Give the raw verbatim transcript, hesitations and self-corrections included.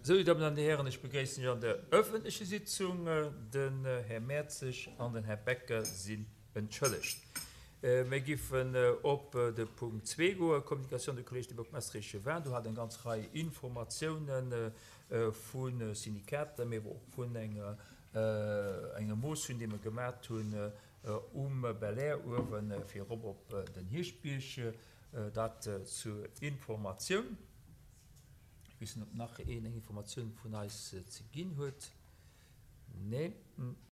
Sou, dir Dammen an dir Hären, ech begréissen Iech an der öffentleche Sitzung. Den Här Mertzig an den Här Becker sinn entschëllegt. Mir giffen op de Punkt zwee goen, Communication du Collège des bourgmestres et échevins. Do hat eng ganz Rei Informatiounen vu Syndikater, mee awer och vun enger enger Motioun, déi mer gemat hunn um Belair uewen, fir erop op den Hierschtbierg. Dat zur Informatioun. Ech weess net, ob nach een eng Informatioun vun eis ze ginn huet. Nee.